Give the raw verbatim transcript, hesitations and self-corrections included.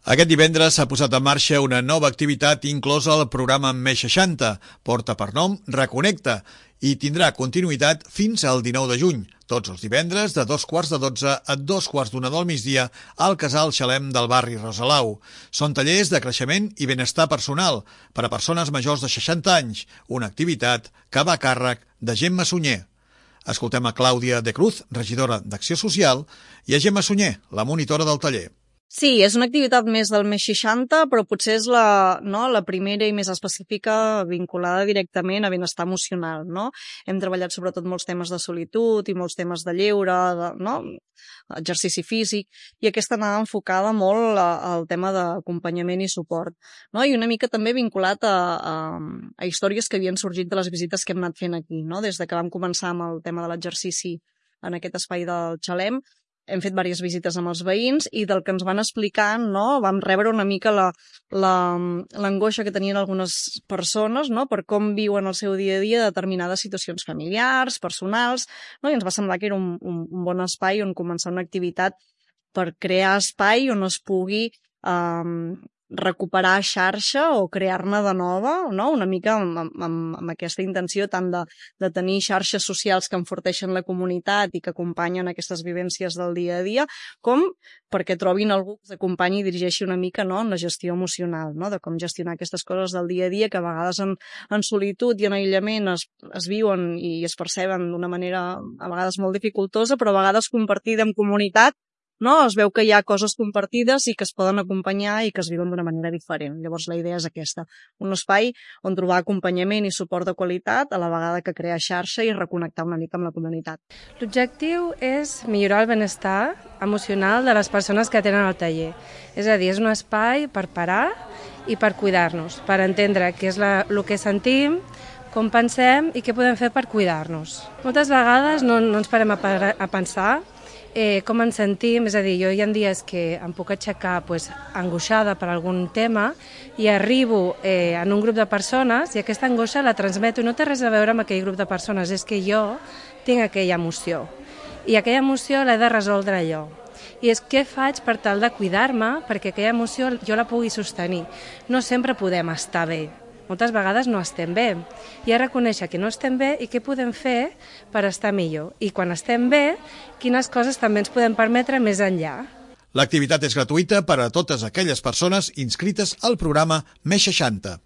Aquest divendres s'ha posat en marxa una nova activitat inclosa al programa Més seixanta, porta per nom Reconnecta, i tindrà continuïtat fins al dinou de juny, tots els divendres de dos quarts de dotze a dos quarts d'una del migdia al Casal Xalem del barri Rosalau. Són tallers de creixement i benestar personal per a persones majors de seixanta anys, una activitat que va a càrrec de Gemma Sunyer. Escoltem a Clàudia de Cruz, regidora d'Acció Social, i a Gemma Sunyer, la monitora del taller. Sí, és una activitat més del Més seixanta, però potser és la, no, la primera i més específica vinculada directament a benestar emocional, no? Hem treballat sobretot molts temes de solitud i molts temes de lleure, de, no? Exercici físic, i aquesta anava enfocada molt a, al tema d'acompanyament i suport, no? I una mica també vinculat a, a, a històries que havien sorgit de les visites que hem anat fent aquí, no? Des de que vam començar amb el tema de l'exercici en aquest espai del Xalem, hem fet diverses visites amb els veïns i del que ens van explicant, no, vam rebre una mica la, la, l'angoixa que tenien algunes persones, no, per com viuen el seu dia a dia determinades situacions familiars, personals, no, i ens va semblar que era un, un, un bon espai on començar una activitat per crear espai on es pugui eh, recuperar xarxa o crear-ne de nova, no? Una mica amb, amb, amb aquesta intenció tant de, de tenir xarxes socials que enforteixen la comunitat i que acompanyen aquestes vivències del dia a dia, com perquè trobin algú que s'acompanyi i dirigeixi una mica, no, en la gestió emocional, no? De com gestionar aquestes coses del dia a dia que a vegades en, en solitud i en aïllament es, es viuen i es perceben d'una manera a vegades molt dificultosa, però a vegades compartida en comunitat, no? Es veu que hi ha coses compartides i que es poden acompanyar i que es viuen d'una manera diferent. Llavors la idea és aquesta, un espai on trobar acompanyament i suport de qualitat a la vegada que crear xarxa i reconnectar una mica amb la comunitat. L'objectiu és millorar el benestar emocional de les persones que tenen el taller. És a dir, és un espai per parar i per cuidar-nos, per entendre què és la, el que sentim, com pensem i què podem fer per cuidar-nos. Moltes vegades no, no ens parem a, a pensar Eh, com ens sentim, és a dir, jo hi ha dies que em puc aixecar pues, angoixada per algun tema i arribo eh, en un grup de persones i aquesta angoixa la transmeto i no té res a veure amb aquell grup de persones, és que jo tinc aquella emoció i aquella emoció l'he de resoldre jo. I és què faig per tal de cuidar-me perquè aquella emoció jo la pugui sostenir. No sempre podem estar bé. Moltes vegades no estem bé. I a reconèixer que no estem bé i què podem fer per estar millor. I quan estem bé, quines coses també ens podem permetre més enllà. L'activitat és gratuïta per a totes aquelles persones inscrites al programa Més seixanta.